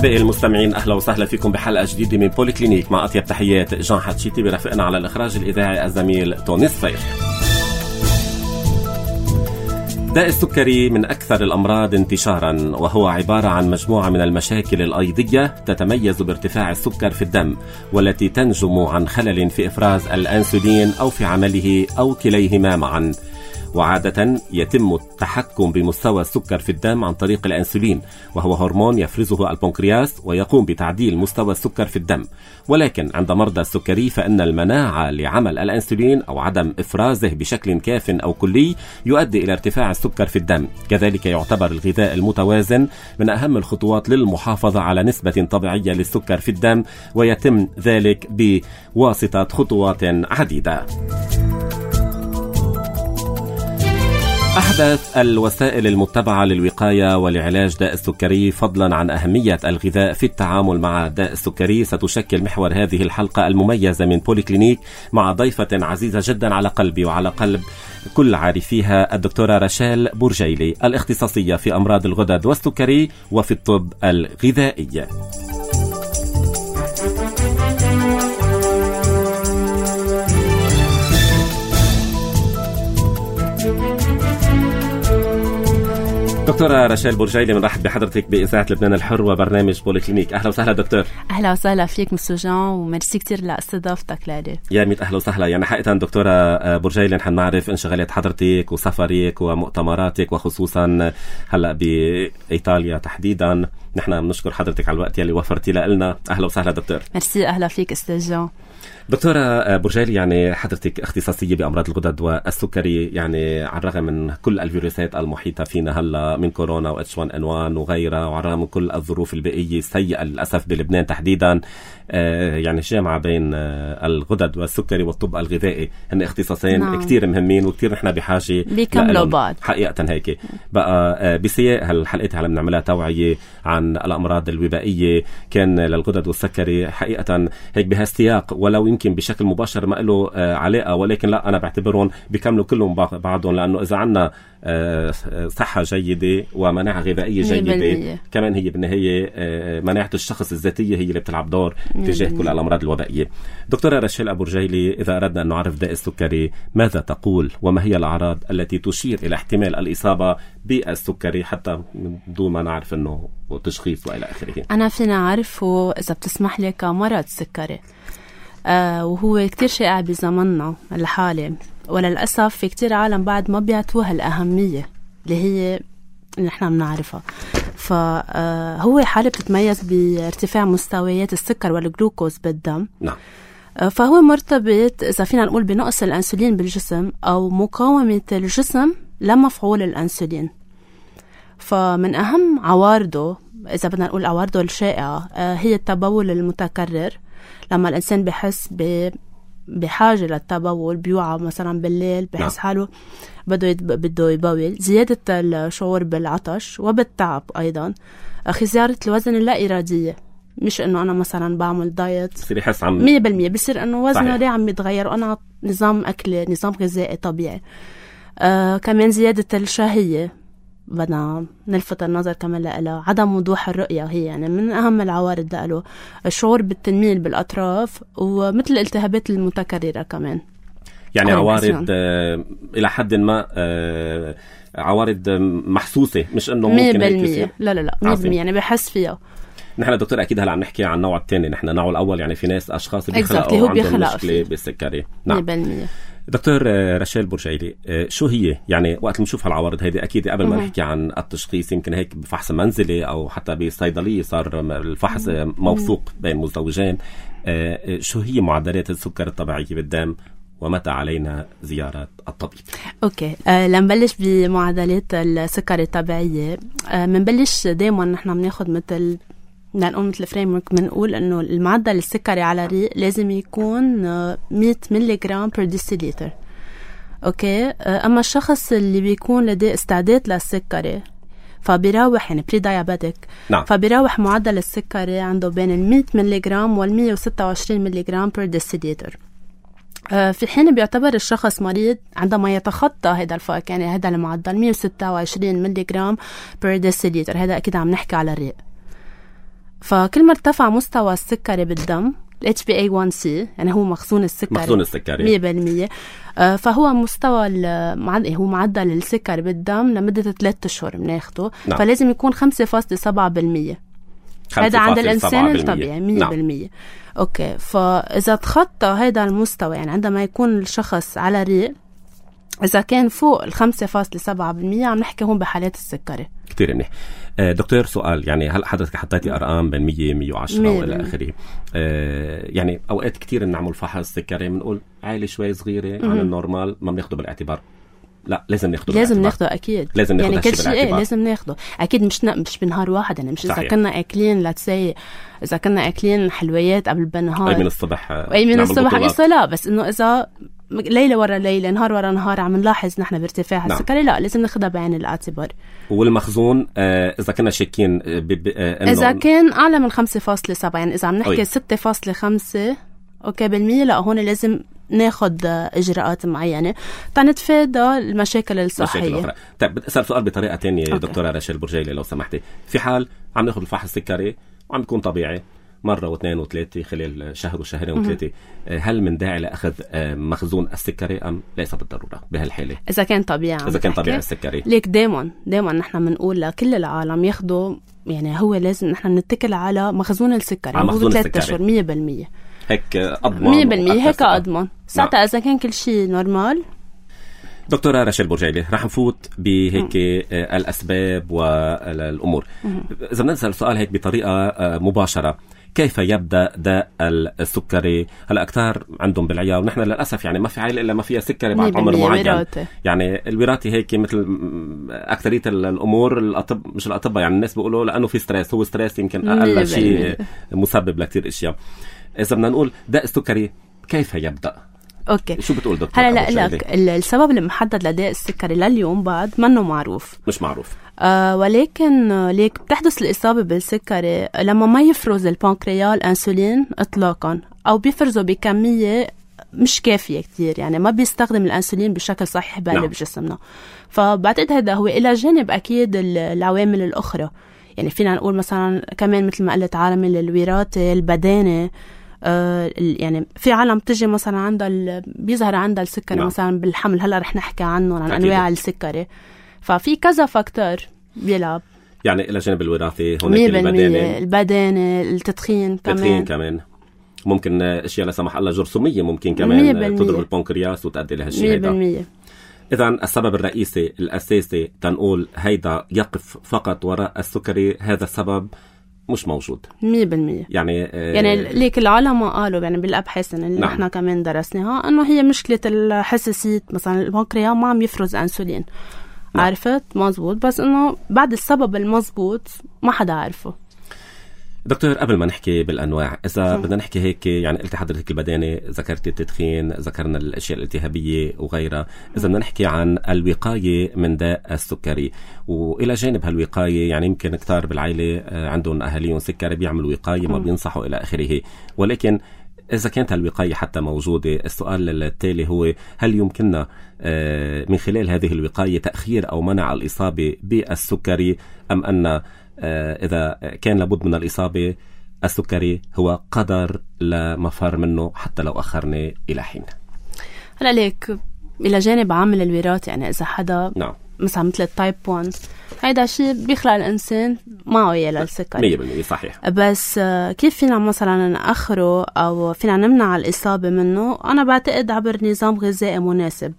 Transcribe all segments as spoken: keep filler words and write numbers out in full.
أحبائي المستمعين، أهلا وسهلا فيكم بحلقة جديدة من بولي كلينيك. مع أطيب تحيات جان حتشيتي، برافقنا على الإخراج الإذاعي الزميل توني صفير. داء السكري من أكثر الأمراض انتشاراً، وهو عبارة عن مجموعة من المشاكل الأيضية تتميز بارتفاع السكر في الدم، والتي تنجم عن خلل في إفراز الأنسولين أو في عمله أو كليهما معاً. وعادة يتم التحكم بمستوى السكر في الدم عن طريق الأنسولين، وهو هرمون يفرزه البنكرياس ويقوم بتعديل مستوى السكر في الدم. ولكن عند مرضى السكري فإن المناعة لعمل الأنسولين أو عدم إفرازه بشكل كاف أو كلي يؤدي إلى ارتفاع السكر في الدم. كذلك يعتبر الغذاء المتوازن من أهم الخطوات للمحافظة على نسبة طبيعية للسكر في الدم، ويتم ذلك بواسطة خطوات عديدة. أحدث الوسائل المتبعة للوقاية ولعلاج داء السكري، فضلا عن أهمية الغذاء في التعامل مع داء السكري، ستشكل محور هذه الحلقة المميزة من بولي كلينيك مع ضيفة عزيزة جدا على قلبي وعلى قلب كل عارفيها، الدكتورة راشيل بورجيلي، الاختصاصية في أمراض الغدد والسكري وفي الطب الغذائي. دكتورة راشيل بورجيلي، بنرحب بحضرتك بإذاعة لبنان الحر وبرنامج بولي كلينيك. أهلا وسهلا دكتور. أهلا وسهلا فيك مسو جان، وميرسي كتير لاستضافتك لي. يا ميت أهلا وسهلا. يعني حقيقة دكتورة بورجيلي، نحن نعرف انشغالات حضرتك وسفرك ومؤتمراتك، وخصوصا هلأ بإيطاليا تحديدا. نحن بنشكر حضرتك على الوقت يلي وفرتي لنا. أهلا وسهلا دكتور. ميرسي، أهلا فيك أستاذ جان. دكتورة بورجيلي، يعني حضرتك اختصاصية بأمراض الغدد والسكري، يعني على الرغم من كل الفيروسات المحيطة فينا هلا من كورونا و إتش وان إن وان وغيرها، وعلى الرغم من كل الظروف البيئية السيئة للأسف بلبنان تحديدا، آه يعني الجامعة بين آه الغدد والسكري والطب الغذائي هن اختصاصين نعم. كتير مهمين وكتير نحن بحاجة بيكملوا بعض حقيقة. هيك بقى آه بسياق هالحلقات هلا بنعملها توعية عن الأمراض الوبائية كان للغدد والسكري، حقيقة هيك بهالسياق، ولو يمكن بشكل مباشر ما له آه علاقة، ولكن لا أنا بعتبرهم بيكملوا كلهم بعضهم، لأنه إذا عنا آه صحة جيدة ومناعة غذائية جيدة كمان هي بالنهاية آه مناعة الشخص الذاتية هي اللي بتلعب دور تجاه كل الأمراض الوبائية. دكتورة راشيل بورجيلي، إذا أردنا أن نعرف داء السكري ماذا تقول، وما هي الأعراض التي تشير إلى احتمال الإصابة بالسكري حتى من دون ما نعرف أنه تشخيص وإلى آخره؟ أنا فينا أعرفه إذا بتسمح لي كمرض سكري، آه وهو كتير شائع بزمننا الحالي، وللأسف في كتير عالم بعد ما بيعطوها الأهمية اللي هي اللي نحن بنعرفها. فهو حالة بتتميز بارتفاع مستويات السكر والجلوكوز بالدم. نعم. فهو مرتبط إذا فينا نقول بنقص الأنسولين بالجسم أو مقاومة الجسم لمفعول الأنسولين. فمن أهم عوارضه، إذا بدنا نقول عوارضه الشائعة، هي التبول المتكرر. لما الإنسان بحس ب بحاجة للتبول، بيوعى مثلا بالليل بحس حاله بده يتب... بده يبول، زيادة الشعور بالعطش وبالتعب أيضا، خسارة الوزن اللا إرادية، مش إنه أنا مثلا بعمل دايت بصير يحس عم مية بالمية، بصير إنه وزنه ليه عم يتغير وأنا نظام أكل نظام غذائي طبيعي. آه كمان زيادة الشهية، بدنا نلفت النظر كمان لها. عدم وضوح الرؤية هي يعني من أهم العوارض له. الشعور بالتنميل بالأطراف، ومثل الالتهابات المتكررة كمان. يعني عوارض آه إلى حد ما آه عوارض محسوسة، مش إنه ممكن هيك يصير. لا لا لا مية بالمية يعني بحس فيها. نحن دكتور أكيد هلا عم نحكي عن النوع الثاني، نحن النوع الأول يعني في ناس أشخاص بيخلقوا عندهم مشكلة بالسكري. نعم. مية بالمية. دكتور راشيل بورجيلي، شو هي يعني وقت نشوف هالعوارض هيدي، أكيد قبل ما نحكي عن التشخيص يمكن هيك بفحص منزلي أو حتى بصيدلية صار الفحص موثوق بين مزدوجين، شو هي معدلات السكر الطبيعية بالدم ومتى علينا زيارة الطبيب؟ أوكي، أه لنبلش بمعدلات السكر الطبيعية. أه منبلش دايما نحن بناخد مثل بدنا نقول مثل فريمورك، بنقول انه المعدل السكري على الريق لازم يكون مية ملي جرام بير ديسيليتر. اوكي، اما الشخص اللي بيكون لديه استعداد للسكري فبيراوح يعني بري دايابيتك، نعم. فبيراوح معدل السكري عنده بين ال مية ملي جرام وال مية وستة وعشرين ملي جرام بير ديسيليتر. في حين بيعتبر الشخص مريض عندما يتخطى هذا الفرق، يعني هذا المعدل مية وستة وعشرين ملي جرام بير ديسيليتر، هذا اكيد عم نحكي على الريق. فكل ما ارتفع مستوى السكري بالدم ال إتش بي إيه وان سي يعني هو مخزون السكري مخزون السكري مية بالمية آه فهو مستوى هو معدل السكري بالدم لمدة ثلاثة أشهر بناخده. نعم. فلازم يكون خمسة فاصلة سبعة بالمية. هذا عند الإنسان الطبيعي مية بالمية. أوكي. فإذا تخطى هذا المستوى يعني عندما يكون الشخص على ريق إذا كان فوق الخمسة فاصلة سبعة بالمية عم نحكي هون بحالات السكري. كتير منيح. آه دكتور سؤال يعني هل حضرتك حطيتي أرقام بين مية مية وعشرة وإلى آخره آه يعني أوقات كتير نعمل فحص سكري بنقول عالي شوي صغيرة عن النورمال ما بناخده بالاعتبار. لا لازم ناخده لازم ناخده اكيد لازم ناخده يعني كل شيء ايه لازم ناخده اكيد مش مش بنهار واحد يعني مش اذا كنا اكلين لا تسي اذا كنا اكلين حلويات قبل بالنهار اي من الصبح اي من الصبح قصه لا بس انه اذا ليله ورا ليله نهار ورا نهار عم نلاحظ نحن بارتفاع نعم. السكري لا لازم ناخدها بعين الاعتبار. والمخزون آه اذا كنا شاكين آه اذا كان اعلى من خمسة فاصلة سبعة يعني اذا عم نحكي ستة فاصلة خمسة اوكي بالمية لا هون لازم ناخد إجراءات معينة تنتفادى المشاكل الصحية. طيب بدي أسأل سؤال بطريقة تانية أوكي. دكتورة راشيل برجيلي لو سمحتي في حال عم ناخد الفحص السكري وعم يكون طبيعي مرة واثنين وثلاثة خلال شهر وشهرين وثلاثة هل من داعي لأخذ مخزون السكري أم ليس بالضرورة بهالحالة إذا كان طبيعي إذا كان طبيعي السكري ليك دايما دايما نحن بنقول لكل العالم ياخدوا يعني هو لازم نحن نتكل على مخزون السكري على مخزون ثلاثة أشهر مية بالمية هيك أضمن مية بالمية هيك أضمن ساعتها نعم. إذا كان كل شيء نورمال. دكتورة راشيل برجيلي رح نفوت بهيك الأسباب والأمور. إذا بنسأل سؤال هيك بطريقة مباشرة كيف يبدأ داء السكري؟ هلا أكثر عندهم بالعيا ونحن للأسف يعني ما في عائلة إلا ما فيها سكري بعد عمر معين وراثة. يعني الوراثة هيك مثل أكثرية الأمور الأطب مش الأطباء يعني الناس بيقولوا لأنه في ستريس هو ستريس يمكن أقل شيء مسبب لكتير أشياء. إذا بدنا نقول داء السكري كيف يبدأ؟ اوكي شو بتقول دكتور؟ هلا لا لك السبب المحدد لداء السكري لليوم بعد منه معروف مش معروف آه ولكن ليك بتحدث الإصابة بالسكري لما ما يفرز البنكرياس الأنسولين إطلاقا أو بيفرزه بكمية مش كافية كتير يعني ما بيستخدم الأنسولين بشكل صحيح بقلب نعم. جسمنا. فبعتقد هذا هو إلى جانب أكيد العوامل الأخرى يعني فينا نقول مثلا كمان مثل ما قلت عالم الوراثة البدانة آه يعني في عالم تجي مثلا عندها بيظهر عندها السكري نعم. مثلا بالحمل هلا رح نحكي عنه عن أكيد. أنواع السكري ففي كذا فاكتور بيلعب يعني إلى جانب الوراثة هناك البدانة البدانة التدخين كمان التدخين كمان ممكن أشياء لا سمح الله جرثومية ممكن كمان تضرب البنكرياس وتؤدي لهالشيء هذا. إذا السبب الرئيسي الأساسي تنقول هيدا يقف فقط وراء السكري هذا السبب مش موجود مية بالمية يعني آه يعني ليك العلماء قالوا يعني بالأبحاث اللي نعم. احنا كمان درسناها انه هي مشكلة الحساسية مثلا البنكرياس ما عم يفرز أنسولين نعم. عرفت مزبوط بس انه بعد السبب المزبوط ما حدا عارفه. دكتور قبل ما نحكي بالأنواع إذا بدنا نحكي هيك يعني قلت حضرتك البدانة ذكرت التدخين ذكرنا الأشياء الالتهابية وغيرها إذا بدنا نحكي عن الوقاية من داء السكري وإلى جانب هالوقاية يعني يمكن كتار بالعائلة عندهم أهاليهم سكري بيعملوا وقاية ما بينصحوا إلى آخره ولكن إذا كانت الوقاية حتى موجودة السؤال التالي هو هل يمكننا من خلال هذه الوقاية تأخير أو منع الإصابة بالسكري أم أن إذا كان لابد من الإصابة السكري هو قدر لمفر منه حتى لو أخرنا إلى حين. هلا ليك إلى جانب عامل الوراثة يعني إذا حدا نعم. مثلا مثل التايب واحد هيدا شيء بيخلق الإنسان معه يا للسكري مية بالمية صحيح بس كيف فينا مثلا نأخره أو فينا نمنع الإصابة منه أنا بعتقد عبر نظام غذائي مناسب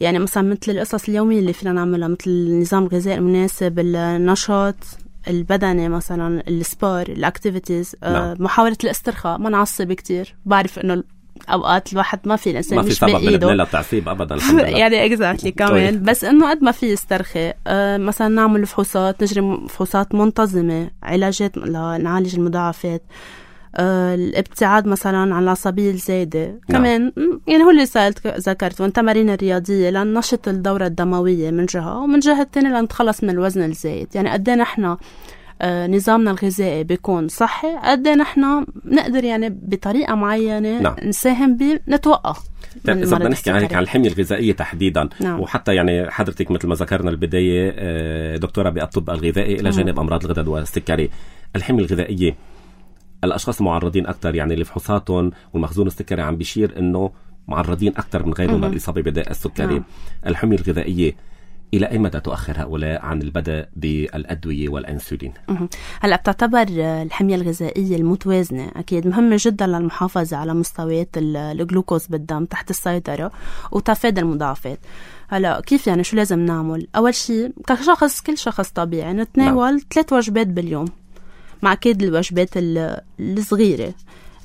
يعني مثلا مثل القصص اليومية اللي فينا نعملها مثل النظام الغذائي المناسب النشاط البدني مثلا السبور الاكتيفيتيز نعم. آه محاولة الاسترخاء ما نعصب كتير بعرف انه اوقات الواحد ما في الانسان مش بايده ما في التعصيب ابدا الحمد لله يعني اكزاكتلي كمان بس انه قد ما في يسترخي آه مثلا نعمل فحوصات نجري فحوصات منتظمة علاجات لنعالج المضاعفات آه الابتعاد مثلا عن العصبية الزايدة نعم. كمان يعني هو اللي سألت ذكرت والتمارين الرياضية لننشط الدورة الدموية من جهة ومن جهة التانية لنتخلص من الوزن الزايد يعني قد ايه نحن آه نظامنا الغذائي بيكون صحي قد ايه نحن نقدر يعني بطريقة معينة نعم. نساهم بنتوقع. طيب إذا بدنا نحكي عن الحمية الغذائية تحديدا نعم. وحتى يعني حضرتك مثل ما ذكرنا البداية دكتورة بالطب الغذائي إلى جانب أمراض الغدد والسكري الحمية الغذائية، الأشخاص المعرضين أكثر، يعني اللي فحوصاتهم والمخزون السكري عم بيشير إنه معرضين أكثر من غيرهم للإصابة بداء السكري. نعم. الحمية الغذائية إلى أي مدى تؤخر هؤلاء عن البدء بالأدوية والأنسولين؟ هلأ بتعتبر الحمية الغذائية المتوازنة أكيد مهمة جدا للمحافظة على مستويات الجلوكوز بالدم تحت السيطرة وتفادي المضاعفات. هلا كيف يعني شو لازم نعمل؟ أول شيء كشخص كل شخص طبيعي نتناول نعم. ثلاث وجبات باليوم، مع أكيد الوجبات الصغيرة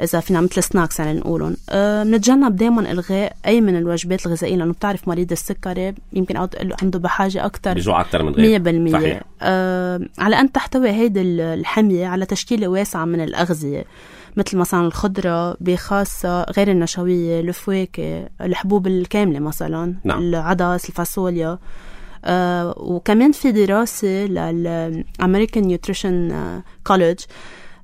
إذا فينا مثل سناكس يعني نقولون. أه بنتجنب دايما إلغاء أي من الوجبات الغذائية، لأنه بتعرف مريض السكري يمكن عنده بحاجة أكتر بيجوع أكتر من غير مية بالمية. أه على أن تحتوي هيدي الحمية على تشكيلة واسعة من الأغذية، مثل مثلا الخضرة بخاصة غير النشوية، الفواكه، الحبوب الكاملة مثلا نعم. العدس، الفاصوليا. أه وكمان في دراسة للأمريكان نيوتريشن كوليدج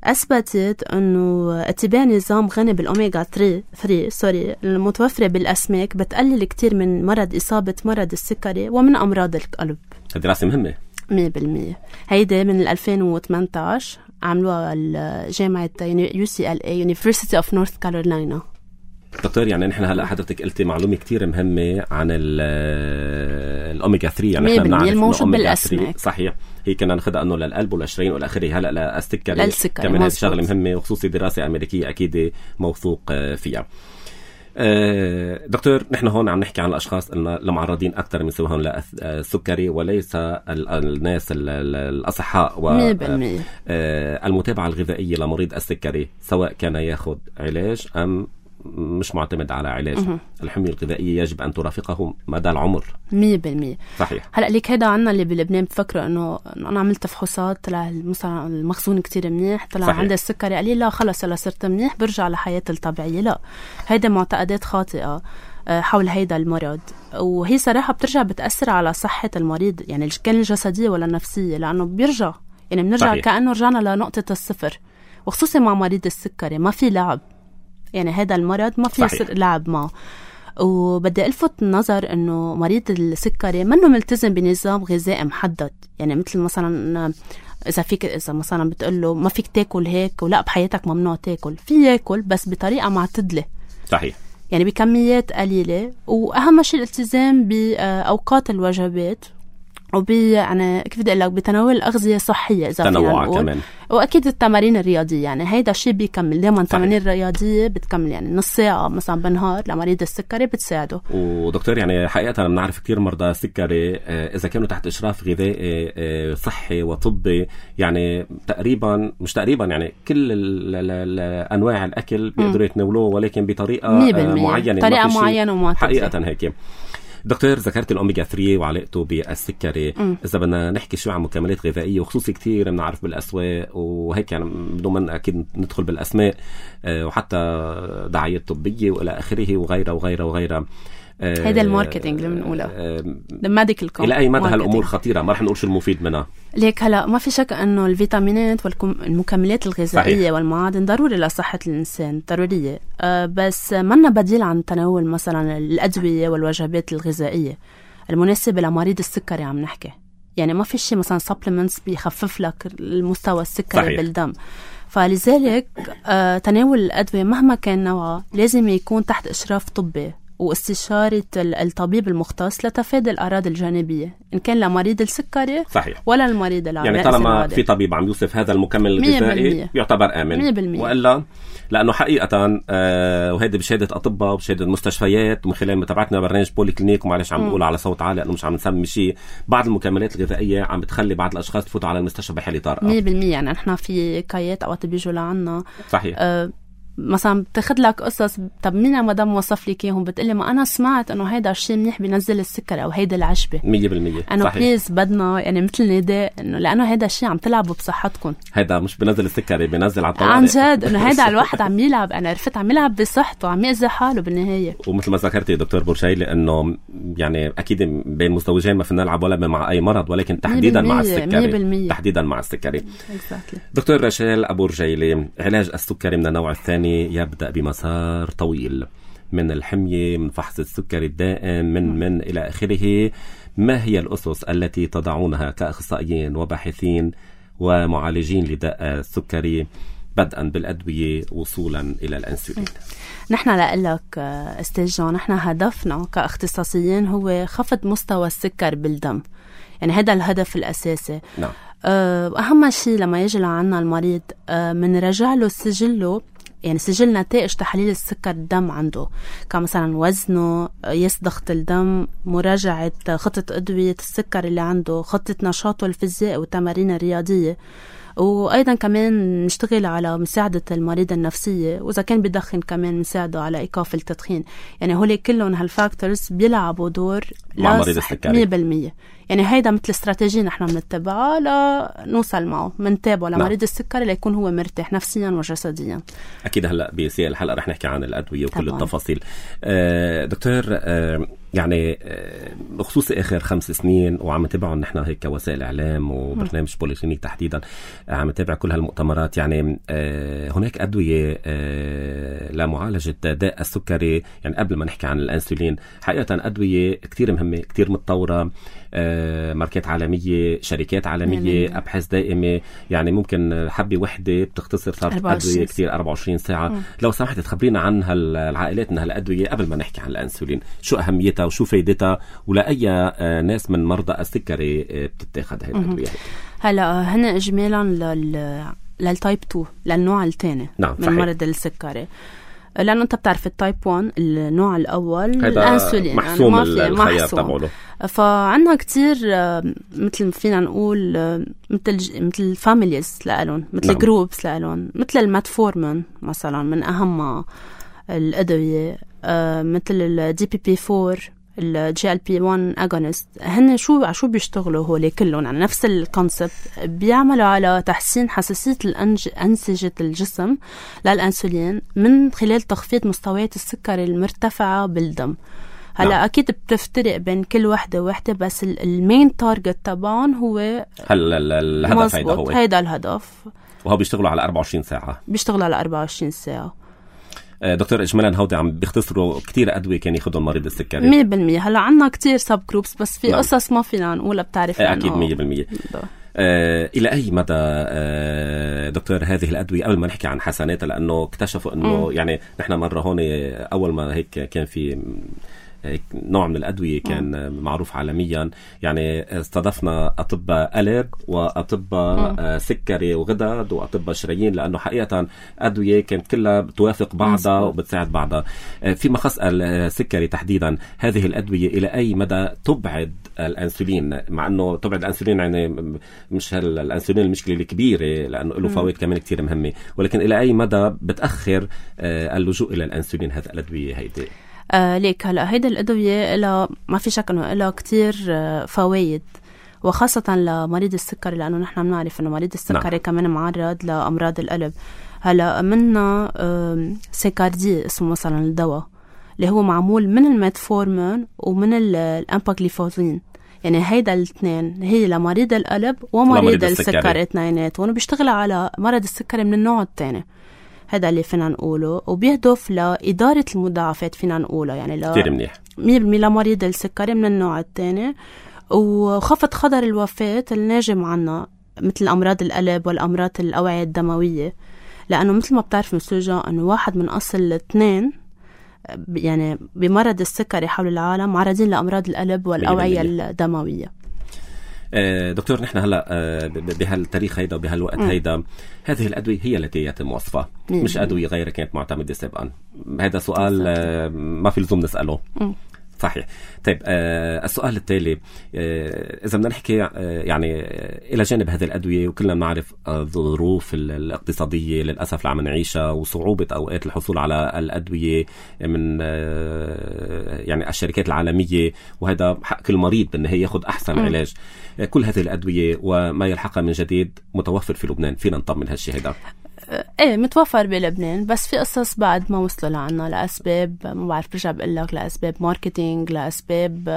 أثبتت أنه اتباع نظام غني بالأوميغا ثلاثة سوري المتوفرة بالأسماك بتقلل كتير من مرض إصابة مرض السكري ومن أمراض القلب. دراسة مهمة مية بالمية. هيدا من ألفين وثمانية عشر عملوها الجامعة يو سي إل إيه University of North Carolina. دكتور يعني نحن هلا حضرتك قلتي معلومة كتير مهمة عن الأوميغا ثلاثة، يعني نحن بنعرف الموجود بالأسماك صحيح هي كنا ناخدها انه للقلب والشرايين والاخره، هلا للسكري كمان هذه شغله مهمه، وخصوصي دراسه امريكيه اكيد موثوق فيها. دكتور نحن هون عم نحكي عن الاشخاص المعرضين اكثر من سواهم للسكري وليس الناس الاصحاء، والمتابعه الغذائيه لمريض السكري سواء كان ياخذ علاج ام مش معتمد على علاج. الحمية الغذائية يجب أن ترافقه مدى العمر مية بالمية. صحيح. هلأ ليك هيدا عنا اللي بلبنان بفكرة أنه أنا عملت فحوصات طلع مثلا المخزون كتير منيح، طلع عندي السكري، قال لي لا خلص هلا صرت منيح برجع لحياتي الطبيعية. لا، هيدا معتقدات خاطئة حول هيدا المرض، وهي صراحة بترجع بتأثر على صحة المريض، يعني كان الجسدية ولا النفسية، لأنه بيرجع يعني بنرجع صحيح. كأنه رجعنا لنقطة الصفر، وخصوصي مع مريض السكري ما في لعب، يعني هذا المرض ما في يصير لعب معه. وبدي ألفت النظر إنه مريض السكري منه ملتزم بنظام غذائي محدد، يعني مثل مثلا إذا فيك إذا مثلا بتقوله ما فيك تاكل هيك ولا بحياتك ممنوع تاكل، في ياكل بس بطريقة معتدلة صحيح، يعني بكميات قليلة، وأهم شيء الالتزام بأوقات الوجبات وب يعني كيف بدي اقول لك بتناول الاغذيه صحيه اذا تنوع كمان، واكيد التمارين الرياضيه، يعني هيدا الشيء بيكمل دائما. التمارين الرياضيه بتكمل يعني نص ساعه مثلا بالنهار لمريض السكري بتساعده. ودكتور يعني حقيقه بنعرف كثير مرضى السكري اذا كانوا تحت اشراف غذائي صحي وطبي، يعني تقريبا مش تقريبا يعني كل انواع الاكل بيقدروا يتناولوه، ولكن بطريقه معينه طريقه معينه ومعتدله حقيقه هيك. دكتور ذكرت الأوميغا ثلاثة وعلاقته بالسكري، م. إذا بدنا نحكي شوي عن مكملات غذائية وخصوصي كتير بنعرف بالأسواق وهيك، يعني بدون ما أكيد ندخل بالأسماء وحتى دعايات طبية وإلى آخره وغيرها وغيرها وغيرها. هذا الماركتينج اللي بنقوله الميديكال إلى أي مدى هالأمور خطيرة؟ ما رح نقول شو المفيد منها. ليك هلا ما في شك انه الفيتامينات والمكملات الغذائيه صحيح. والمعادن ضروري لصحه الانسان، ضروريه، أه بس منا بديل عن تناول مثلا الادويه والوجبات الغذائيه المناسبه لمريض السكري. عم نحكي يعني ما في شيء مثلا سبلمنتس بيخفف لك المستوى السكري صحيح. بالدم، فلذلك أه تناول الادويه مهما كان نوعها لازم يكون تحت اشراف طبي واستشارة الطبيب المختص لتفادي الأعراض الجانبية إن كان لمريض السكري صحيح. ولا المريض العادي. يعني طالما في طبيب عم يوصف هذا المكمل الغذائي يعتبر آمن مية بالمية. وإلا لأنه حقيقة آه وهذا بشهادة أطباء وبشهادة مستشفيات ومن خلال متابعتنا برنامج بولي كلينيك، ومعلش عم نقول على صوت عالي لأنه مش عم نسمي شيء، بعض المكملات الغذائية عم بتخلي بعض الأشخاص تفوتوا على المستشفى بحالة طارئة مية بالمية. يعني نحن في كايات أوقات بيجوا لعنا صحيح آه مثلا بتاخد لك قصص، طب مين يا مدام وصف لي اياهم؟ بتقلي ما انا سمعت انه هيدا الشيء منيح بينزل السكر او هيدا العشبه مية بالمية انه بليز بدنا يعني مثل نداء انه لانه هيدا الشيء عم تلعبوا بصحتكم، هيدا مش بينزل السكر بينزل على الطوارئ عن جد انه هيدا الواحد عم يلعب، انا عرفت عم يلعب بصحته، عم يأذي حاله بالنهايه. ومثل ما ذكرتي دكتور بورجيلي انه يعني اكيد بين مزدوجين ما فينا نلعب ولا مع اي مرض، ولكن تحديدا مع السكري تحديدا مع السكري exactly. دكتور رشال أبو رجيلي، علاج السكري من النوع الثاني يبدأ بمسار طويل من الحمية، من فحص السكري الدائم، من من إلى آخره. ما هي الأسس التي تضعونها كأخصائيين وباحثين ومعالجين لداء السكري بدءا بالأدوية وصولا إلى الأنسولين. نحن لقلك أستاذ جون، نحن هدفنا كاختصاصيين هو خفض مستوى السكر بالدم، يعني هذا الهدف الأساسي. نعم. أهم شيء لما يجي لعنا المريض من رجع له سجله، يعني سجل نتائج تحليل السكر الدم عنده، كمثلا وزنه، قياس ضغط الدم، مراجعة خطة أدوية السكر اللي عنده، خطة نشاطه الفيزيائي والتمارين الرياضية، وأيضا كمان نشتغل على مساعدة المريض النفسية، وإذا كان بدخن كمان نساعده على إيقاف التدخين. يعني هولي كلهم هالفاكتورز بيلعبوا دور مع مريض السكري مية بالمية. يعني هيدا مثل استراتيجية نحن بنتبعها لنوصل معه، منتابعه لمريض نعم. السكري ليكون هو مرتاح نفسيا وجسديا. أكيد هلأ بسياق الحلقة رح نحكي عن الأدوية وكل طبعا. التفاصيل. آه دكتور، آه يعني آه بخصوص آخر خمس سنين وعم نتابعهم نحن هيك كوسائل إعلام وبرنامج بوليكلينيك تحديدا، آه عم نتابع كل هالمؤتمرات. يعني آه هناك أدوية آه لمعالجة داء السكري، يعني قبل ما نحكي عن الأنسولين حقيقة أدوية كتير مهمة، كتير متطورة، آه ماركات عالمية، شركات عالمية، مم. أبحاث دائمة. يعني ممكن حبة وحدة بتختصر صارت أدوية كتير أربعة وعشرين ساعة. مم. لو سمحت تخبرينا عن هالعائلات من هالأدوية قبل ما نحكي عن الأنسولين، شو أهميتها وشو فايدتها ولأي آه ناس من مرضى السكري آه بتتاخد هاي الأدوية؟ هلا هن إجمالا لل للتايب تو، للنوع الثاني نعم من مرض السكري، لأنه أنت بتعرف التايب واحد النوع الأول الأنسولين محسوم يعني الخيار تبعه. فعنا كتير مثل فينا نقول مثل مثل فاميليز لألون، مثل نعم. جروبس لألون، مثل الماتفورمين مثلا من أهم الأدوية، مثل الدي بي بي فور، الجي ال بي واحد اغونست. هن شو شو بيشتغلوا هولي كلهم على نفس الكونسبت، بيعملوا على تحسين حساسية أنسجة الجسم للأنسولين من خلال تخفيض مستويات السكر المرتفعة بالدم. هلا نعم. أكيد بتفترق بين كل وحدة وحدة، بس المين تارجت تبعهم هو هل الهدف هيدا هو هيدا الهدف، وهو بيشتغلوا على أربعة وعشرين ساعة بيشتغلوا على أربعة وعشرين ساعة. دكتور إجمالا هودي عم بيختصروا كتير أدوية كان ياخدهم مريض السكري مية بالمية. هلا عنا كتير سب جروبس، بس في نعم. قصص ما فينا نقولها، بتعرف أكيد مية بالمية. آه إلى أي مدى آه دكتور هذه الأدوية، قبل ما نحكي عن حسناتها، لأنه اكتشفوا أنه م. يعني نحن مرة هون أول ما هيك كان في نوع من الأدوية كان م. معروف عالميا، يعني استضفنا أطباء قلب وأطباء م. سكري وغدد وأطباء شرايين، لأنه حقيقة أدوية كانت كلها بتوافق بعضها وبتساعد بعضها. فيما خص السكري تحديدا، هذه الأدوية إلى أي مدى تبعد الأنسولين؟ مع أنه تبعد الأنسولين يعني مش الأنسولين المشكلة الكبيرة، لأنه له فوائد كمان كتير مهمة، ولكن إلى أي مدى بتأخر اللجوء إلى الأنسولين هذا الأدوية هيدي؟ آه ليك هلا هيدا الأدوية إلها ما في شك إنه إلها كتير آه فوائد، وخاصة لمريض السكري، لأنه نحن بنعرف إنه مريض السكري نعم. كمان معرض لأمراض القلب. هلا منا آه سيكاردي اسمه مثلا الدواء اللي هو معمول من الميتفورمين ومن الأمباغليفوزين، يعني هيدا الاثنين هي لمريض القلب ومريض السكري اثنيناتهم، وبيشتغل على مرض السكري من النوع الثاني. هذا اللي فينا نقوله، وبيهدف لإدارة المضاعفات فينا نقوله، يعني لا كتير منيح مية بالمية لمريض السكري من النوع الثاني، وخفض خطر الوفاة الناجم عنا مثل أمراض القلب والأمراض الأوعية الدموية، لأنه مثل ما بتعرف مسوجة أنه واحد من أصل اثنين يعني بمرض السكري حول العالم معرضين لأمراض القلب والأوعية الدموية. دكتور، نحن هلا بهالتاريخ هيدا وبهالوقت هيدا هذه الأدوية هي التي يتم وصفها، مش أدوية غيرها كانت معتمدة سابقا. هذا سؤال ما في لزوم نسأله. م. صحيح. طيب آه السؤال التالي، آه إذا بدنا نحكي آه يعني آه إلى جانب هذه الأدوية، وكلنا بنعرف الظروف آه الاقتصادية للأسف اللي عم نعيشها وصعوبة أوقات الحصول على الأدوية من آه يعني الشركات العالمية، وهذا حق كل مريض بالنهاية ياخد أحسن م. علاج. آه كل هذه الأدوية وما يلحقها من جديد متوفر في لبنان، فينا نطمن هالشيء هذا؟ ايه متوفر بلبنان، بس في قصص بعد ما وصلوا لعنا لأسباب ما بعرف، برجع بقول لك لأسباب ماركتينج، لأسباب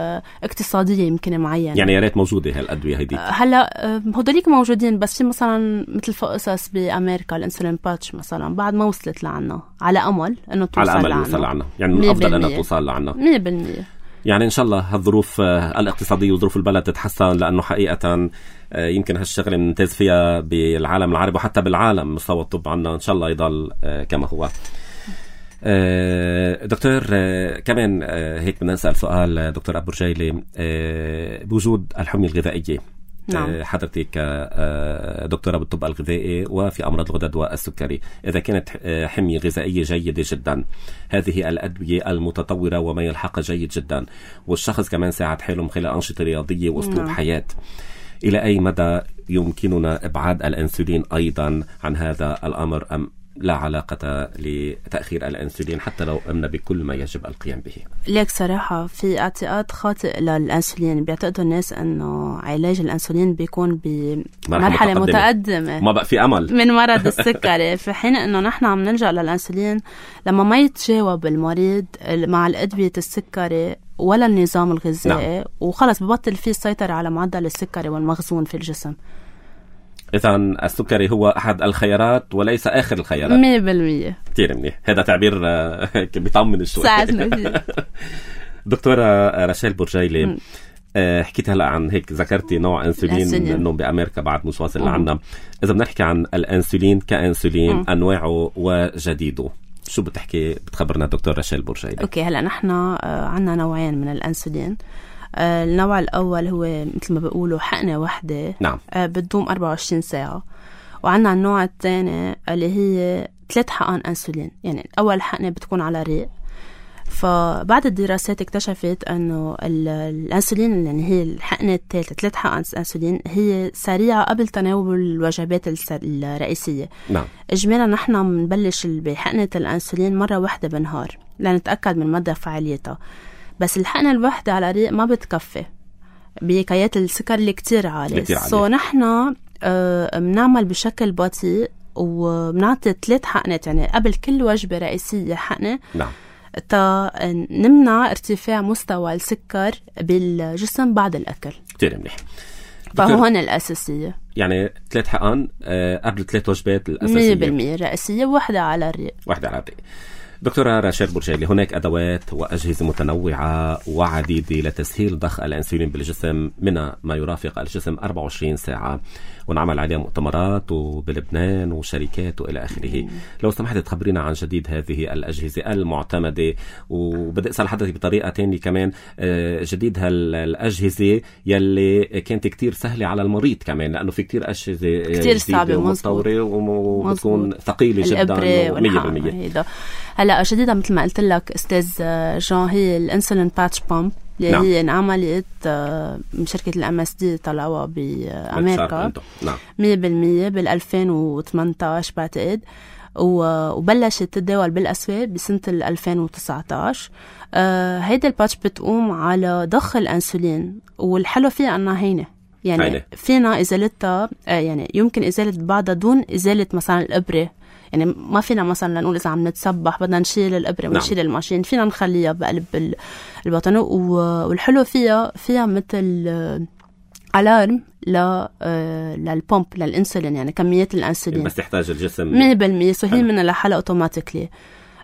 اقتصادية يمكن معينة. يعني يا ريت موجودة هالأدوية هيدي. هلا هودوليك موجودين، بس في مثلا مثل في قصص بأمريكا الانسولين باتش مثلا بعد ما وصلت لعنا، على أمل إنه توصل على أمل لعنا. يوصل لعنا، يعني من أفضل أنها توصل لعنا مية بالمية. يعني إن شاء الله هالظروف الاقتصادية وظروف البلد تتحسن، لأنه حقيقة يمكن هالشغلة نمتاز فيها بالعالم العربي وحتى بالعالم. مستوى الطب عنا إن شاء الله يضل كما هو. دكتور كمان هيك بدنا نسأل سؤال دكتور أبو رجيلي، بوجود الحمية الغذائية، نعم. حضرتك دكتورة بالطب الغذائي وفي أمراض الغدد والسكري، إذا كانت حمية غذائية جيدة جدا، هذه الأدوية المتطورة وما يلحق جيد جدا، والشخص كمان ساعد حاله من خلال أنشطة رياضية وأسلوب نعم. حياة، إلى أي مدى يمكننا إبعاد الأنسولين أيضا عن هذا الأمر، أم لا علاقة لتأخير الأنسولين حتى لو قمنا بكل ما يجب القيام به؟ ليك صراحة في اعتقاد خاطئ للأنسولين. بيعتقدوا الناس أنه علاج الأنسولين بيكون بمرحلة متقدمة, متقدمة ما بقى في أمل من مرض السكري، في حين أنه نحن عم نلجأ للأنسولين لما ما يتجاوب المريض مع الأدوية السكري ولا النظام الغذائي، نعم. وخلص ببطل فيه السيطرة على معدل السكري والمخزون في الجسم. إذا السكري هو أحد الخيارات وليس آخر الخيارات. مية بالمية. كتير منيح، هذا تعبير بيطمن شوي. ساعدنا فيه. دكتورة راشيل بورجيلي، حكيت هلا عن هيك ذكرتي نوع أنسولين إنه بأمريكا بعد مش واصل لعنا. إذا بنحكي عن الأنسولين كأنسولين م. أنواعه وجديده، شو بتحكي بتخبرنا دكتور راشيل بورجيلي؟ أوكي، هلا نحن عنا نوعين من الأنسولين. النوع الأول هو مثل ما بيقولوا حقنة واحدة، نعم. بتدوم أربعة وعشرين ساعة. وعنا النوع الثاني اللي هي ثلاث حقن أنسولين، يعني أول حقنة بتكون على ريق. فبعد الدراسات اكتشفت أنه الأنسولين، يعني هي الحقنة الثالثة ثلاث حقن أنسولين، هي سريعة قبل تناول الوجبات الرئيسية. نعم. إجمالا نحن بنبلش بحقنة الأنسولين مرة واحدة بالنهار لنتأكد من مدى فعاليتها. بس الحقنة الواحدة على ريق ما بتكفي بكيات السكر اللي كتير عالي. سو نحن آه بنعمل بشكل بطيء وبنعطي ثلاث حقنات، يعني قبل كل وجبة رئيسية حقنة، نعم. تا نمنع ارتفاع مستوى السكر بالجسم بعد الأكل. كتير منيح. فهون الأساسية، يعني ثلاث حقن آه قبل ثلاث وجبات الأساسية مية بالمية رئيسية، واحدة على الريق. واحدة على الريق. دكتورة راشيل بورجيلي، هناك أدوات وأجهزة متنوعة وعديدة لتسهيل ضخ الأنسولين بالجسم، منها ما يرافق الجسم أربعة وعشرين ساعة، ونعمل عليها مؤتمرات وبلبنان وشركات وإلى آخره. لو سمحت تخبرينا عن جديد هذه الأجهزة المعتمدة، وبدأ أسأل حضرتك بطريقة تانية كمان، جديد هالأجهزة يلي كانت كتير سهلة على المريض كمان، لأنه في كتير أجهزة كتير صعبة ومطورة وبتكون ثقيلة جدا مية بالمية. هلا جديدة مثل ما قلت لك أستاذ جان، هي الانسولين باتش بامب اللي نعم. هي انعملت من شركة الام اس دي، طلعوها بأمريكا مية بالمية بالألفين وثمانية عشر بعتقد، وبلشت تتداول بالأسواق بسنة الألفين وتسعة عشر. آه هيدا الباتش بتقوم على ضخ الأنسولين، والحلو فيها أنها هينة، يعني هينة. فينا إزالتها، آه يعني يمكن إزالة بعضها دون إزالة مثلا الإبرة. يعني ما فينا مثلا نقول إذا عم نتسبح بدنا نشيل الإبرة ونشيل نعم. الماشين، فينا نخليها بقلب البطن. والحلو فيها فيها مثل ألارم ل للبومب للإنسولين، يعني كميات الأنسولين بس تحتاج الجسم مية بالمية، سو هي من الحالة أوتوماتيكلي.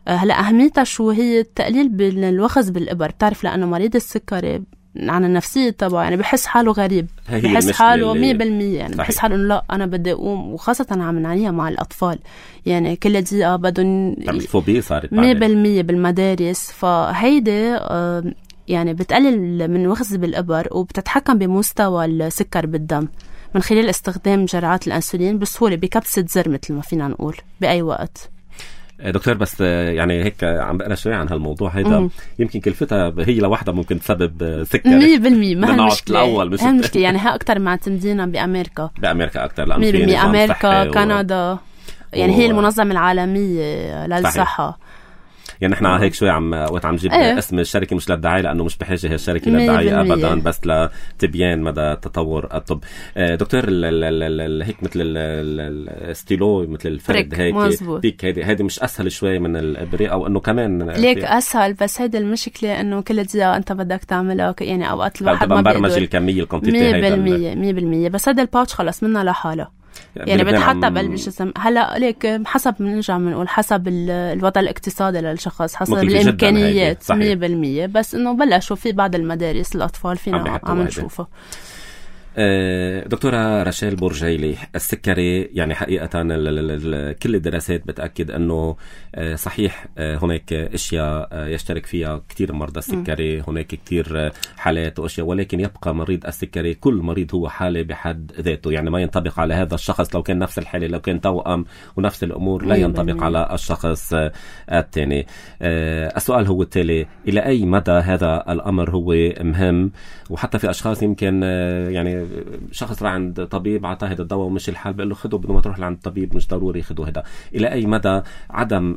هلا أهميتها شو هي؟ التقليل بالوخز بالإبر. بتعرف لأنه مريض السكري عن النفسية طبعا، يعني بحس حاله غريب، بحس حاله مية بالمية، يعني بحس حاله إنه لا أنا بدي أقوم، وخاصة عم نعنيها مع الأطفال، يعني كل دقيقة بدهم الفوبيا صارت مية بالمية بالمدارس. فهيدي آه يعني بتقلل من وخز بالإبر، وبتتحكم بمستوى السكر بالدم من خلال استخدام جرعات الأنسولين بسهولة بكبسة زر مثل ما فينا نقول بأي وقت. دكتور بس يعني هيك عم بقرا شوي عن هالموضوع هيدا، مم. يمكن كلفتها هي لوحدها ممكن تسبب سكر مية بالمية. ما هالمشكلة الأول مش هالمشكلة، يعني ها أكتر ما تمدينا بأمريكا بأمريكا أكتر، لأن مية بالمية أمريكا كندا و... يعني و... هي المنظمة العالمية للصحة. يعني احنا هيك شوي عم وقت عم جيب ايه؟ اسم الشركة مش للدعاية، لأنه مش بحاجة هي الشركة للدعاية أبدا، بس لتبيان مدى تطور الطب. دكتور ال ال ال هيك مثل الستيلو مثل الفرد هيك بيك، هيدي هيدي مش أسهل شوي من الإبرة، أو إنه كمان ليك أسهل، بس هيدي المشكلة إنه كل دقيقة أنت بدك تعملها، يعني أوقات الواحد ما بيقدر برمج الكمية الكونتيتي مية بالمية مية بالمية. بس هذا الباوتش خلص منها لحالة، يعني بتحطها بقلب الجسم. هلا ليك حسب بنرجع بنقول حسب الوضع الاقتصادي للشخص، حسب الامكانيات مية بالمية. بس انه بلشوا في بعض المدارس الاطفال فينا عم نشوفه. دكتورة رشال بورجيلي، السكري يعني حقيقة كل الدراسات بتأكد أنه صحيح هناك أشياء يشترك فيها كتير مرضى السكري، هناك كتير حالات وأشياء، ولكن يبقى مريض السكري كل مريض هو حالة بحد ذاته. يعني ما ينطبق على هذا الشخص لو كان نفس الحالة، لو كان توأم ونفس الأمور لا ينطبق على الشخص الثاني. السؤال هو التالي: إلى أي مدى هذا الأمر هو مهم؟ وحتى في أشخاص يمكن يعني شخص راح عند طبيب عطاه هذا الدواء ومش الحال، بيقول له خده بدون ما تروح لعند الطبيب، مش ضروري خده هذا. إلى أي مدى عدم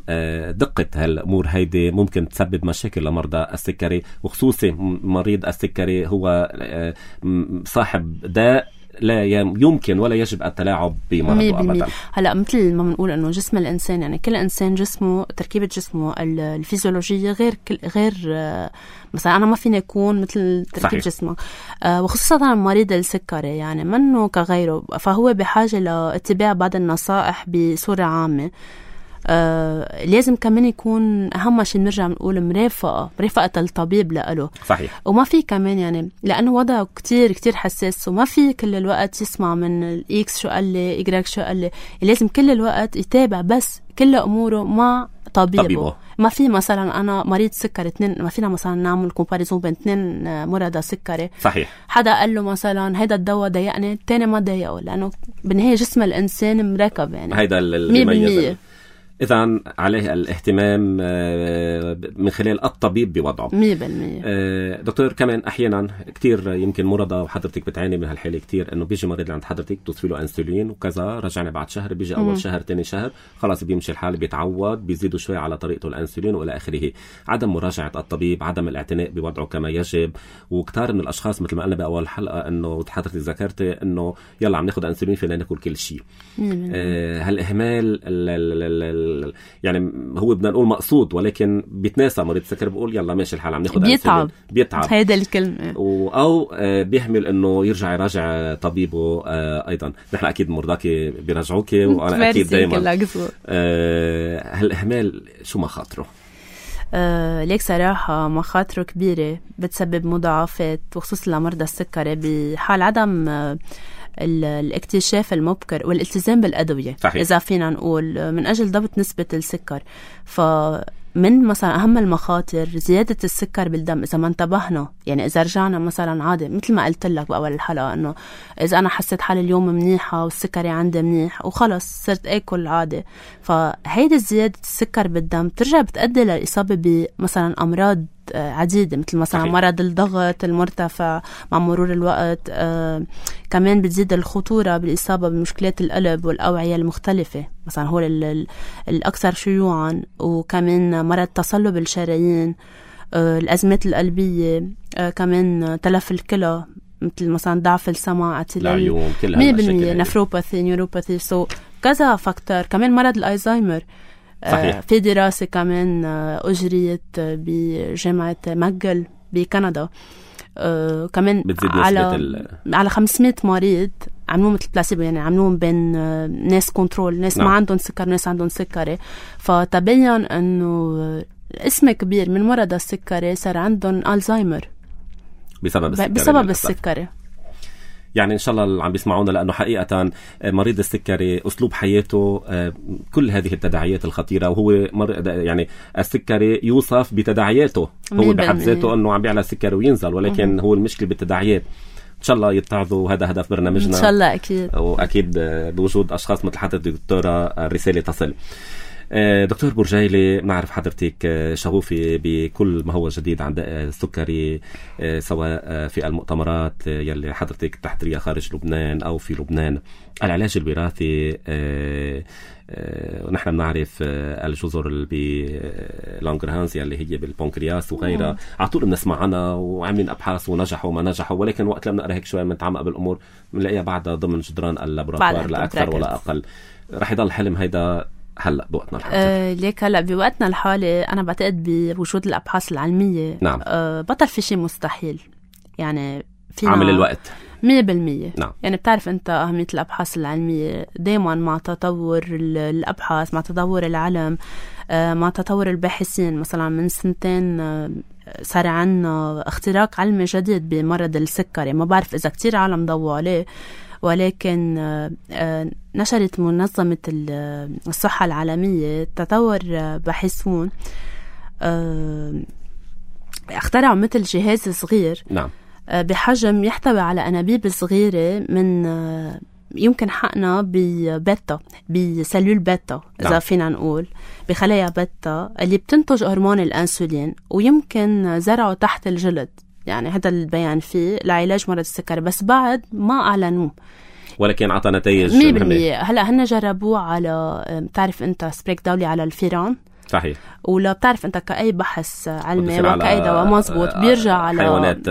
دقة هالأمور هيدي ممكن تسبب مشاكل لمرضى السكري، وخصوصي مريض السكري هو صاحب داء لا يمكن ولا يجب التلاعب بمرضه أبدا. هلا مثل ما بنقول انه جسم الانسان، يعني كل انسان جسمه تركيبه جسمه الفيزيولوجيه غير غير مثلا انا ما فيني اكون مثل تركيب جسمه، آه وخصوصا مريض السكري يعني منه كغيره، فهو بحاجه لاتباع بعض النصائح بصوره عامه. آه لازم كمان يكون أهم شيء بنرجع بنقول مرافقة مرافقة الطبيب لأله. صحيح. وما في كمان يعني لأنه وضعه كتير كتير حساس، وما في كل الوقت يسمع من الإكس شو قال لي إجراك شو قال لي، لازم كل الوقت يتابع بس كل أموره مع طبيبه. طبيبه. ما في مثلا أنا مريض سكري اثنين، ما فينا مثلا نعمل كومباريزون بين اثنين مرضى سكري. صحيح. حدا قال له مثلا هيدا الدواء ضايقني، الثاني ما ضايقه، لأنه بالنهاية جسم الإنسان مركب يعني هيدا اللي يميز. إذن عليه الاهتمام من خلال الطبيب بوضعه مية بالمية. دكتور، كمان أحيانا كتير يمكن مرضى وحضرتك بتعاني من هالحالة كتير، إنه بيجي مريض عند حضرتك توصفي له أنسولين وكذا، رجعنا بعد شهر، بيجي أول شهر تاني شهر خلاص بيمشي الحال، بيتعود، بيزيدوا شوي على طريقته الأنسولين وإلى آخره. عدم مراجعة الطبيب، عدم الاعتناء بوضعه كما يجب. وكتار من الأشخاص مثل ما قلنا بأول حلقة إنه حضرتك ذكرتي إنه يلا عم ناخد أنسولين فينا ناكل كل شيء. آه هالإهمال يعني هو بدنا نقول مقصود، ولكن بيتناسى مريض السكر بيقول يلا ماشي الحال عم ناخد بيتعب بيتعب هيدا الكلمة، أو بيحمل إنه يرجع يراجع طبيبه. أيضا نحن أكيد مرضاكي بيراجعوكي وأنا أكيد دايما. هالإهمال شو مخاطره؟ آه ليك صراحة مخاطره كبيرة، بتسبب مضاعفات وخصوصا لمرضى السكري بحال عدم آه الاكتشاف المبكر والالتزام بالأدوية. صحيح. إذا فينا نقول من أجل ضبط نسبة السكر، فمن مثلا أهم المخاطر زيادة السكر بالدم إذا ما انتبهنا. يعني إذا رجعنا مثلا عادي مثل ما قلت لك بأول الحلقة إنه إذا أنا حسيت حالي اليوم منيحة والسكري عندي منيح وخلص صرت أكل عادي، فهيدا زيادة السكر بالدم ترجع بتؤدي للإصابة بمثلا أمراض عديدة، مثل مثلا صحيح. مرض الضغط المرتفع مع مرور الوقت. آه كمان بتزيد الخطورة بالإصابة بمشكلات القلب والأوعية المختلفة، مثلا هو الأكثر شيوعا. وكمان مرض تصلب الشرايين، آه الأزمات القلبية، آه كمان تلف الكلى مثل مثلا ضعف السمع، اعتلال مية بالمية، نفروباثي، نيوروباثي، سو كذا فاكتور. كمان مرض الألزهايمر. صحيح. في دراسة كمان أجريت بجامعة ماجل بكندا، كمان على ال... على خمسمية مريض عملوهم مثل بلاسيبو، يعني عملوهم بين ناس كنترول، ناس نعم. ما عندهم سكر ناس عندهم سكري، فتبين أنه اسم كبير من مرضى السكري صار عندهم ألزهايمر بسبب السكري. بسبب السكري. يعني إن شاء الله اللي عم بيسمعونا، لأنه حقيقة مريض السكري أسلوب حياته كل هذه التداعيات الخطيرة، وهو يعني السكري يوصف بتداعياته، هو بحد ذاته أنه عم بيعلى السكري وينزل، ولكن هو المشكلة بالتداعيات. إن شاء الله يتعظوا، هذا هدف برنامجنا إن شاء الله أكيد، وأكيد بوجود أشخاص مثل حضرتك دكتورة الرسالة تصل. دكتور بورجيلي، نعرف حضرتك شغوفة بكل ما هو جديد عن السكري، سواء في المؤتمرات يلي حضرتك تحضريها خارج لبنان أو في لبنان. العلاج الوراثي، ونحن بنعرف الجزر باللانغرهانز اللي هي بالبنكرياس وغيرها، على طول بنسمع عنها وعاملين أبحاث ونجحوا وما نجحوا، ولكن وقت لما نقرأ هيك شوي بنتعمق بالأمور بنلاقيها بعدها ضمن جدران اللابوراتوار لا أكثر ولا أقل. رح يضل الحلم هيدا هلا بوقتنا الحالي. أه ليك هلا بوقتنا الحالي انا بعتقد بوجود الابحاث العلميه. نعم. أه بطل في شيء مستحيل، يعني فينا عامل الوقت مية بالمية. نعم. يعني بتعرف أنت أهمية الأبحاث العلمية دايما مع تطور الأبحاث، مع تطور العلم، مع تطور الباحثين. مثلا من سنتين صار عنا اختراق علمي جديد بمرض السكري، ما بعرف إذا كتير عالم ضووا عليه، ولكن نشرت منظمة الصحة العالمية تطور باحثون اخترعوا مثل جهاز صغير نعم. بحجم يحتوي على أنابيب صغيرة من يمكن حقنا ببيتا، بسلول بيتا إذا نعم. فينا نقول بخلايا بيتا اللي بتنتج هرمون الأنسولين، ويمكن زرعه تحت الجلد. يعني هذا البيان فيه لعلاج مرض السكري، بس بعد ما أعلنوه، ولكن عطى نتائج مية بالمية. هلأ هن جربوه على، بتعرف أنت سبريك دولي على الفيران. صحيح. ولا بتعرف أنت كأي بحث علمي وكأي دواء مزبوط بيرجع على حيوانات،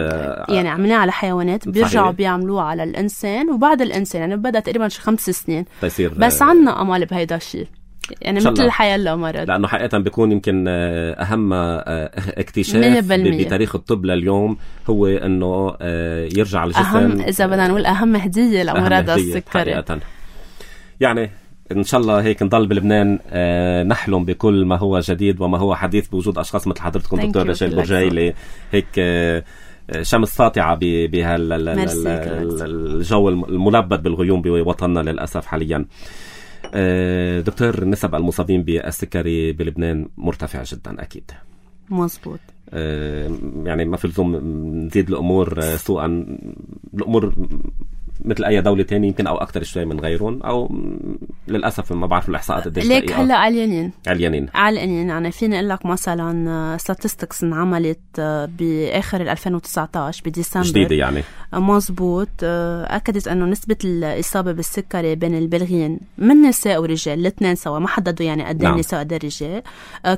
يعني عملناه على حيوانات، بيرجعوا بيعملوه على الإنسان، وبعد الإنسان يعني بدأ تقريبا شي خمس سنين تصير. بس عنا أمال بهيدا الشيء، يعني مثل الحياة لا مرض، لأنه حقيقة بيكون يمكن أهم اكتشاف بتاريخ الطب لليوم هو أنه يرجع الجسم. أهم إذا بدنا نقول أهم هدية لمرض السكري حقيقة. يعني إن شاء الله هيك نضل بلبنان آه نحلم بكل ما هو جديد وما هو حديث بوجود أشخاص مثل حضرتكم دكتور رشيل برجيلي، هيك آه شمس ساطعة بهالجو الملبد بالغيوم بوطننا للأسف حاليا. آه دكتور، نسب المصابين بالسكري بلبنان مرتفع جدا أكيد. مظبوط. آه يعني ما في لزوم نزيد الأمور سوءا، الأمور مثل أي دولة تاني يمكن أو أكتر شوي من غيرهم، أو للأسف ما بعرف الإحصاءات قديش ليك هلا عليانين عليانين عليانين يعني فيني أقول لك مثلا statistics انعملت بآخر ألفين وتسعة عشر بديسمبر جديدة يعني مزبوط، أكدت أنه نسبة الإصابة بالسكري بين البالغين من نساء ورجال الاثنين سوا، ما حددوا يعني قد ايه النساء قد ايه الرجال،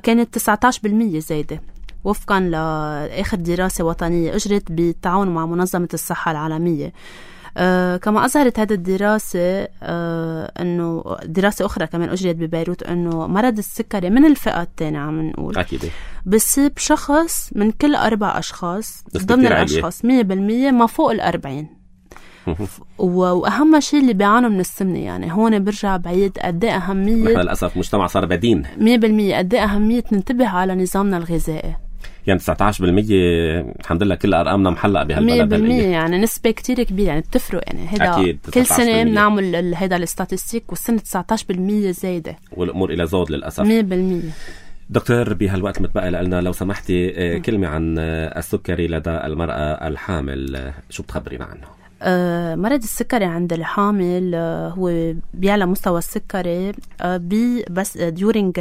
كانت تسعة عشر بالمية زايدة وفقا لآخر دراسة وطنية أجرت بالتعاون مع منظمة الصحة العالمية. آه كما أظهرت هذه الدراسة آه أنه دراسة أخرى كمان أجريت ببيروت أنه مرض السكري من الفئة الثانية عم نقول أكيد بصيب شخص من كل أربع أشخاص ضمن الأشخاص مية بالمية ما فوق الأربعين. وأهم شيء اللي بيعانوا من السمنة، يعني هون برجع بعيد قد ايه أهمية، نحن للأسف مجتمع صار بدين مية بالمية قد ايه أهمية ننتبه على نظامنا الغذائي. يعني تسعة عشر بالمية الحمد لله كل أرقامنا محلقة بهالبلد مية بالمية يعني نسبة كتير كبيرة، يعني بتفرق يعني هيدا كل سنة بنعمل هيدا الاستاتستيك والسنة تسعة عشر بالمية زايدة والأمور إلى زود للأسف مية بالمية. دكتور بهالوقت متبقى لنا لو سمحتي كلمة عن السكري لدى المرأة الحامل، شو بتخبرينا عنه؟ آه مرض السكري عند الحامل آه هو بيعلى مستوى السكري آه بي بس ديورينج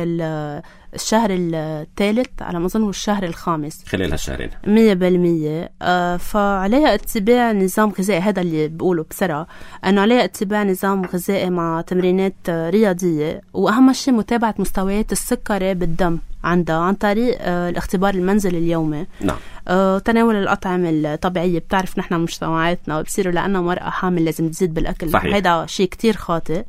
الشهر الثالث على ما أظن والشهر الخامس خلال هالشهرين مية بالمية. آه فعليها اتباع نظام غذائي، هذا اللي بقوله بسرعة أنه عليها اتباع نظام غذائي مع تمرينات رياضية، وأهم شيء متابعة مستويات السكري بالدم عندها عن طريق آه الاختبار المنزلي اليومي. نعم. آه تناول الأطعمة الطبيعية، بتعرف نحن مجتمعاتنا بصيروا لأنه مرأة حامل لازم تزيد بالأكل، هذا شيء كتير خاطئ.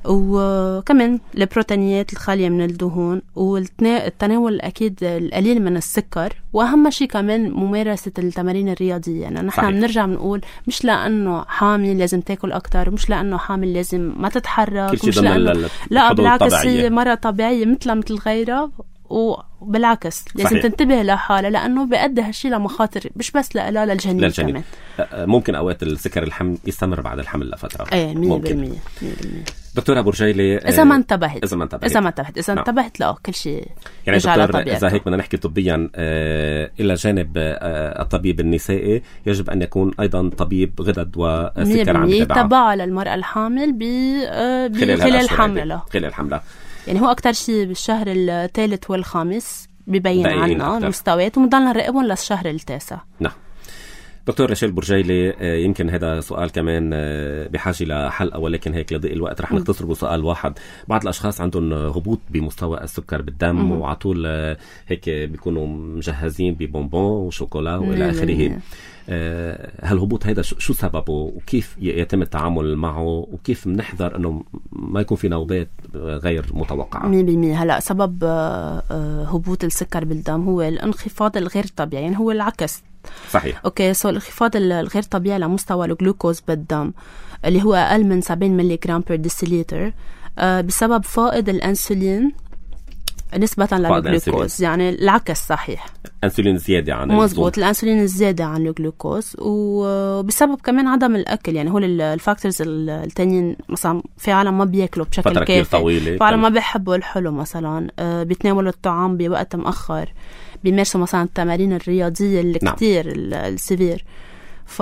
وكمان البروتينيات الخالية من الدهون، والتناول أكيد القليل من السكر، وأهم شيء كمان ممارسة التمارين الرياضية. يعني نحن بنرجع بنقول مش لأنه حامل لازم تاكل أكتر، مش لأنه حامل لازم ما تتحرك، مش لأنه لا بالعكس هي مرة طبيعية مثلها مثل غيرها، وبالعكس لازم صحيح. تنتبه لحالها لأنه بيؤدي هالشيء لمخاطر مش بس لها للجنين, للجنين كمان. ممكن أوقات السكر الحمل يستمر بعد الحمل لفترة. ايه مية بالمية. دكتورة برجيلي إذا ما انتبهت إذا ما انتبهت إذا ما انتبهت إذا نعم. انتبهت لا كل شيء يعني دكتور إذا هيك بدنا نحكي طبيا آه إلى جانب آه الطبيب النسائي يجب أن يكون أيضا طبيب غدد وسكر عم يتابعه يتابع للمرأة الحامل ب آه خلال حملها خلال حملها يعني هو أكتر شيء بالشهر الثالث والخامس بيبين عنا المستويات، ومضلنا نراقبهم للشهر التاسع. نعم. دكتور رشيل برجيلي، يمكن هذا سؤال كمان بحاجة لحلقة، ولكن هيك لضيق الوقت رح نختصر بسؤال واحد. بعض الأشخاص عندهم هبوط بمستوى السكر بالدم وعطول هيك بيكونوا مجهزين ببونبون وشوكولا وإلى آخره. هالهبوط هيدا شو سببه وكيف يتم التعامل معه وكيف بنحذر انه ما يكون في نوبات غير متوقعة؟ مية بالمية. هلا سبب هبوط السكر بالدم هو الانخفاض الغير طبيعي، يعني هو العكس صحيح. اوكي سو الانخفاض الغير طبيعي لمستوى الجلوكوز بالدم اللي هو اقل من سبعين ملي جرام بير ديسيليتر آه بسبب فائض الانسولين نسبة للجلوكوز، يعني العكس صحيح، انسولين زيادة عن مزبوط، الانسولين الزيادة عن الجلوكوز، وبسبب كمان عدم الاكل. يعني هول الفاكتورز التانيين مثلا في عالم ما بياكلوا بشكل كافي، في عالم ما بيحبوا الحلو مثلا، آه بيتناولوا الطعام بوقت مؤخر، بيمارسوا مثلا التمارين الرياضية اللي نعم. كتير السيفير. ف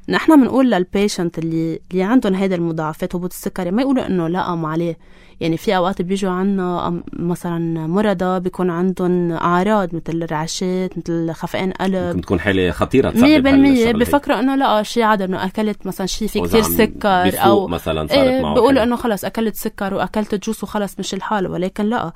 نحن بنقول للبيشنت اللي اللي عندهم هيدا المضاعفات هبوط السكري ما يقولوا انه لا ما عليه. يعني في اوقات بيجوا عنا مثلا مرضى بيكون عندهم اعراض مثل الرعشات، مثل خفقان قلب، ممكن تكون حاله خطيره مية بالمية بفكروا انه لا شيء عادي، انه اكلت مثلا شيء في كتير سكر او مثلا صارت إيه معه بيقولوا انه خلص اكلت سكر واكلت جوس وخلص مش الحال. ولكن لا،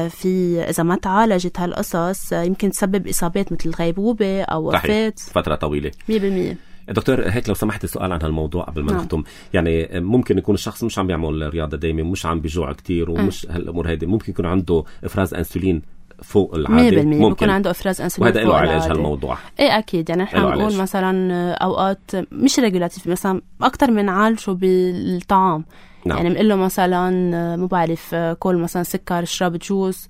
في اذا ما تعالجت هالقصص يمكن تسبب اصابات مثل غيبوبه او وفاه فتره طويله. مية بالمية. دكتور هيك لو سمحت سؤال عن هالموضوع قبل ما نختم. يعني ممكن يكون الشخص مش عم بيعمل رياضة دايما، مش عم بيجوع كتير ومش هالأمور هيدي، ممكن يكون عنده إفراز أنسولين فوق العادة، ممكن بيكون عنده إفراز أنسولين وهذا له علاج هالموضوع. إيه أكيد. يعني نحن بنقول مثلا أوقات مش ريجولاتيف، مثلا أكتر من عالجه بالطعام. نعم. يعني بنقول له مثلا مو بعرف كل مثلا سكر، اشرب جوس،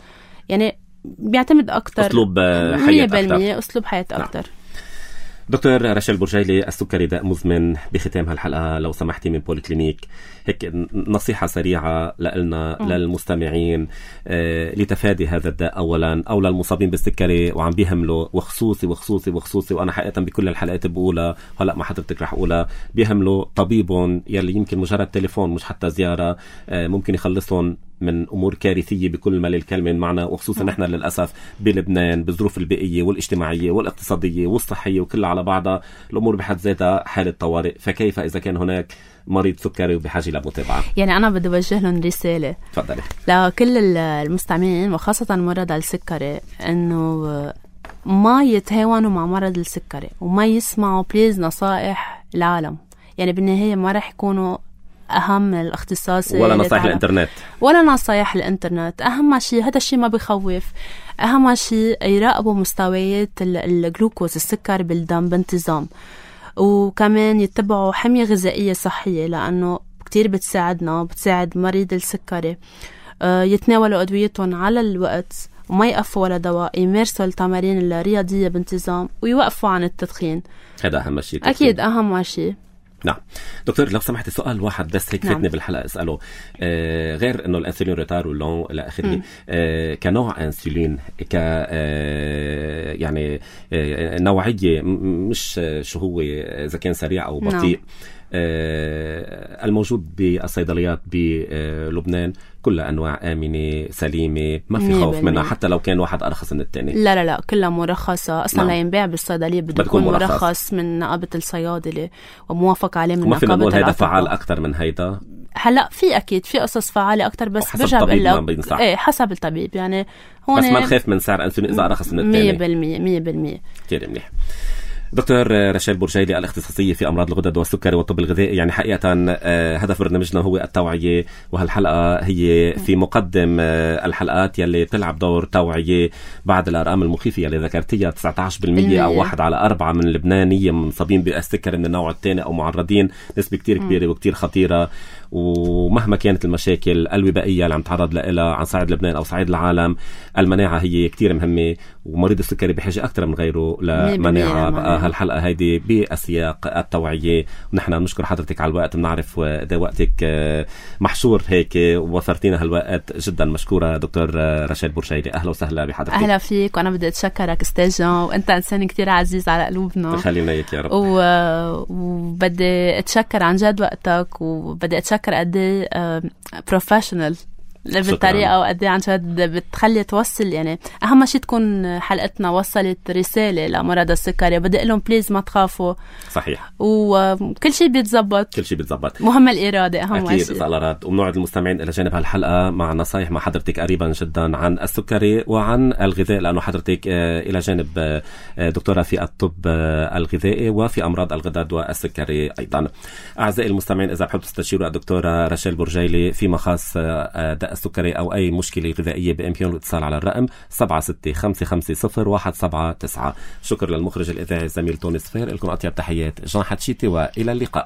يعني بيعتمد أكتر أسلوب حياة مية بالمية أسلوب حياة أكتر. نعم. دكتور رشال بورجيلي، السكري داء مزمن. بختام هالحلقة لو سمحتي من بوليكلينيك هيك نصيحة سريعة لنا للمستمعين آه لتفادي هذا الداء أولا، أو للمصابين بالسكري وعم بيهملوا، وخصوصي وخصوصي وخصوصي وأنا حقيقة بكل الحلقات بقولها هلأ ما حضرتك رح أقولها، بيهملوا طبيبهم يلي يمكن مجرد تليفون مش حتى زيارة آه ممكن يخلصهم من أمور كارثية بكل ما للكلمة معنا، وخصوصا نحن للأسف بلبنان بالظروف البيئية والاجتماعية والاقتصادية والصحية وكلها على بعضها الأمور بحد ذاتها حالة طوارئ. فكيف إذا كان هناك مريض سكري وبحاجة لمتابعة؟ يعني أنا بدي أوجه لهم رسالة تفضلي لكل المستمعين وخاصة مرضى السكري، إنه ما يتهاونوا مع مرض السكري وما يسمعوا بليز نصائح العالم. يعني بالنهاية ما رح يكونوا أهم الاختصاص ولا نصائح الانترنت ولا نصائح الانترنت. أهم شيء هذا الشيء ما بيخوف، أهم شيء يراقبوا مستويات الجلوكوز السكر بالدم بانتظام، وكمان يتبعوا حمية غذائية صحية لأنه كتير بتساعدنا بتساعد مريض السكري. يتناولوا أدويتهم على الوقت وما يقفوا ولا دواء، يمارسوا التمارين الرياضية بانتظام ويوقفوا عن التدخين. هذا أهم شيء. أكيد أهم شيء. نعم دكتور لو سمحت سؤال واحد بس هيك فاتني نعم. بالحلقة اسأله آه غير انه الانسولين ريتار ولون الى اخره آه كنوع انسولين ك آه يعني آه نوعية مش شو هو اذا كان سريع او بطيء نعم. آه الموجود بالصيدليات بلبنان كلها أنواع آمنة سليمة ما في خوف منها حتى لو كان واحد أرخص من التاني؟ لا لا لا كلها مرخصة أصلا نعم. لا ينباع بالصيدلية بده يكون مرخص. مرخص من نقابة الصيادلة وموافق عليه من نقابة الأطباء. ما فينا نقول هيدا فعال أكتر من هيدا؟ هلا في أكيد في قصص فعالة أكتر بس برجع بقول لك إيه حسب الطبيب. يعني هون بس ما نخاف من سعر أنسولين إذا أرخص من التاني. مية بالمية مية بالمية كتير منيح. دكتور رشال بورجيلي الاختصاصية في أمراض الغدد والسكري والطب الغذائي، يعني حقيقة هدف برنامجنا هو التوعية، وهالحلقة هي في مقدم الحلقات يلي تلعب دور توعية بعد الأرقام المخيفة يلي ذكرتيها تسعة عشر بالمية أو واحد على أربعة من اللبنانية مصابين بالسكري من النوع الثاني أو معرضين، نسبة كتير كبيرة وكتير خطيرة. ومهما كانت المشاكل الوبائية اللي عم تعرض لها عن صعيد لبنان أو صعيد العالم، المناعة هي كتير مهمة، ومريض السكري بحاجة أكثر من غيره لمناعة. بقى هالحلقة هيدي بأسياق التوعية، ونحن نشكر حضرتك على الوقت، بنعرف ده وقتك محشور هيك ووفرتينا هالوقت جدا. مشكورة دكتور رشال بورجيلي، أهلا وسهلا بحضرتك. أهلا فيك، وأنا بدي أتشكرك أستاذ جان، وأنت إنسان كتير عزيز على قلوبنا. خلينا إياك يا رب. و... وبدي أتشكر عن جد وقتك، وبدي أتشكر قدي بروفيشنال بالطريقة، وقدي عن جد بتخلي توصل. يعني أهم شيء تكون حلقتنا وصلت رسالة لمرضى السكري، بدي أقول لهم بليز ما تخافوا. صحيح، وكل شيء بيتزبط، كل شيء بيتزبط، مهم الإرادة أهم أكيد شيء. أكيد الإرادة. وبنوعد المستمعين إلى جانب هالحلقة مع نصايح مع حضرتك قريبا جدا عن السكري وعن الغذاء، لأنه حضرتك إلى جانب دكتورة في الطب الغذائي وفي أمراض الغدد والسكري أيضا. أعزائي المستمعين، إذا بحب تستشيروا الدكتورة رشال بورجيلي فيما خاص داء السكري أو أي مشكلة غذائية بإمكانه الاتصال على الرقم سبعة ستة خمسة خمسة صفر واحد سبعة تسعة. شكر للمخرج الإذاعي الزميل توني صفير. لكم أطيب تحيات جان حتشيتي وإلى اللقاء.